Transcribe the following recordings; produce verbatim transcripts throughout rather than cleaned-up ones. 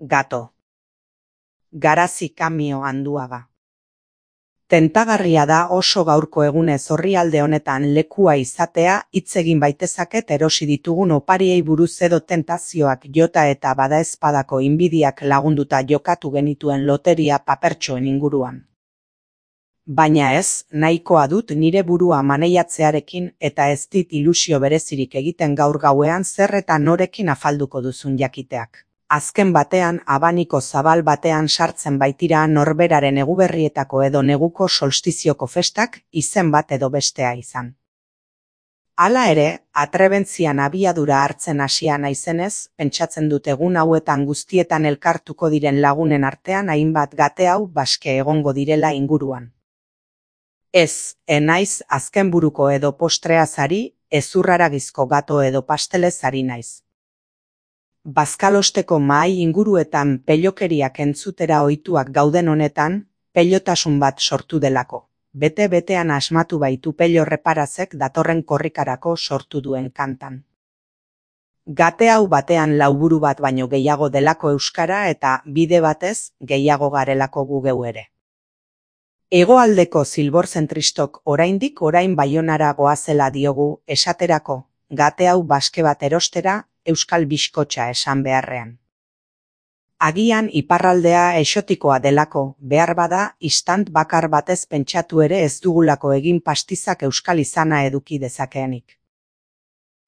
Gato. Garazi Kamio Anduaga. Tentagarria da oso gaurko egunez orrialde honetan lekua izatea, hitz egin baitezaket erosi ditugun opariei buruz edo tentazioak jota eta badaezpadako inbidiak lagunduta jokatu genituen loteria papertxoen inguruan. Baina ez, nahikoa dut nire burua maneiatzearekin eta ez dit ilusio berezirik egiten gaur gauean zer eta norekin afalduko duzun jakiteak. Azken batean, abaniko zabal batean sartzen baitira norberaren eguberrietako edo neguko solstizioko festak izen bat edo bestea izan. Hala ere, atrebentzian abiadura hartzen hasia naizenez, pentsatzen dut egun hauetan guztietan elkartuko diren lagunen artean hainbat gate hau baske egongo direla inguruan. Ez, enaiz azken buruko edo postreazari, ezurraragizko gato edo pastelezari naiz. Bazkalosteko mahai inguruetan pelokeriak entzutera ohituak gauden honetan, pelotasun bat sortu delako. Bete-betean asmatu baitu pelo reparazek datorren korrikarako sortu duen kantan. Gate hau batean lauburu bat baino gehiago delako euskara eta bide batez gehiago garelako gu geu ere. Hegoaldeko zilborzentristok oraindik orain Baionara goazela diogu esaterako, gate hau baske bat erostera, euskal biskotxa esan beharrean. Agian iparraldea exotikoa delako, behar bada istant bakar batez pentsatu ere ez dugulako egin pastizak euskal izana eduki dezakeenik.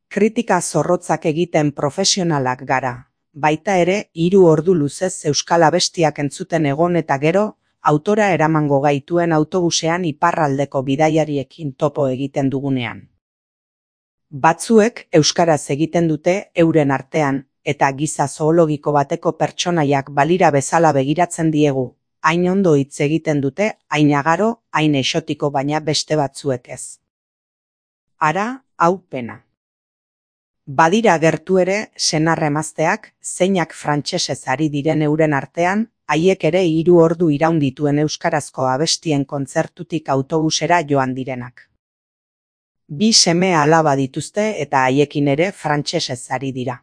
Kritika zorrotzak egiten profesionalak gara, baita ere hiru ordu luzez euskal abestiak entzuten egon eta gero, autora eramango gaituen autobusean iparraldeko bidaiariekin topo egiten dugunean. Batzuek euskaraz egiten dute euren artean, eta giza zoologiko bateko pertsonaiak balira bezala begiratzen diegu, hain ondo hitz egiten dute, hain agaro, hain exotiko baina beste batzuek ez. Ara, hau pena. Badira gertu ere, senar emazteak, zeinak frantsesez ari diren euren artean, haiek ere hiru ordu iraun dituen euskarazko abestien kontzertutik autobusera joan direnak. Bi seme alaba dituzte eta haiekin ere frantsesez ari dira.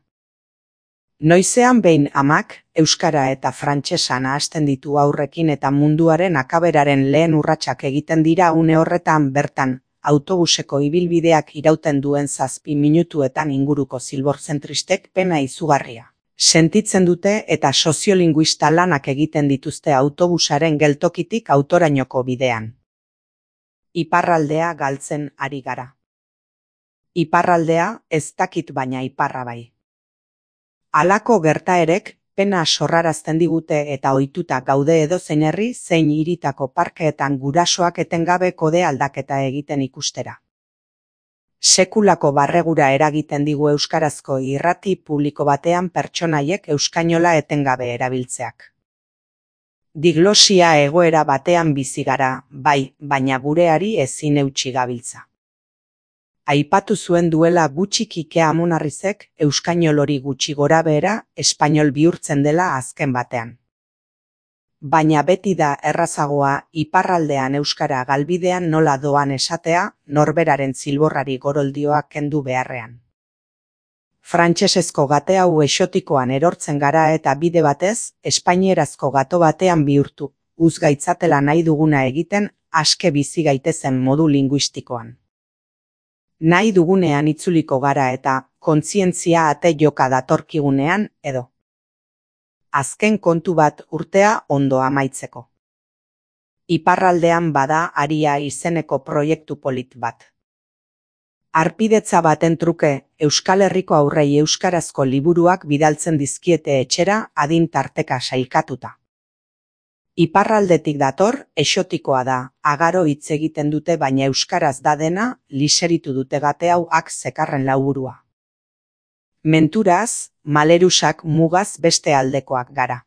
Noizean behin amak, euskara eta frantsesa nahasten ditu aurrekin eta munduaren akaberaren lehen urratsak egiten dira une horretan bertan, autobuseko ibilbideak irauten duen zazpi minutuetan inguruko zilborzentristek pena izugarria. Sentitzen dute eta soziolinguista lanak egiten dituzte autobusaren geltokitik autorainoko bidean. Iparraldea galtzen ari gara. Iparraldea ez dakit baina iparra bai. Halako gertaerek pena sorrarazten digute eta ohituta gaude edozein herri zein hiritako parkeetan gurasoak etengabe kode aldaketa egiten ikustera. Sekulako barregura eragiten digu euskarazko irrati publiko batean pertsonaiek euskainola etengabe erabiltzeak. Diglosia egoera batean bizi gara, bai, baina gureari ezin eutsi gabiltza. Aipatu zuen duela gutxi Kike Amonarrizek euskainol hori gutxi gorabehera espainol bihurtzen dela azken batean. Baina beti da errazagoa iparraldean euskara galbidean nola doan esatea norberaren zilborrari goroldioak kendu beharrean. Frantsesezko gate hau exotikoan erortzen gara eta bide batez espainierazko gato batean bihurtu, uzgaitzatela nahi duguna egiten aske bizi gaitezen modu linguistikoan. Nahi dugunean itzuliko gara eta kontzientzia ate joka datorkigunean edo. Azken kontu bat urtea ondo amaitzeko. Iparraldean bada Aria izeneko proiektu polit bat. Harpidetza baten truke Euskal Herriko aurrei euskarazko liburuak bidaltzen dizkiete etxera adin tarteka sailkatuta. Iparraldetik dator, exotikoa da, agaro hitz egiten dute baina euskaraz da dena, liseritu dute gate hau ak zekarren lauburua. Menturaz, malerusak mugaz beste aldekoak gara.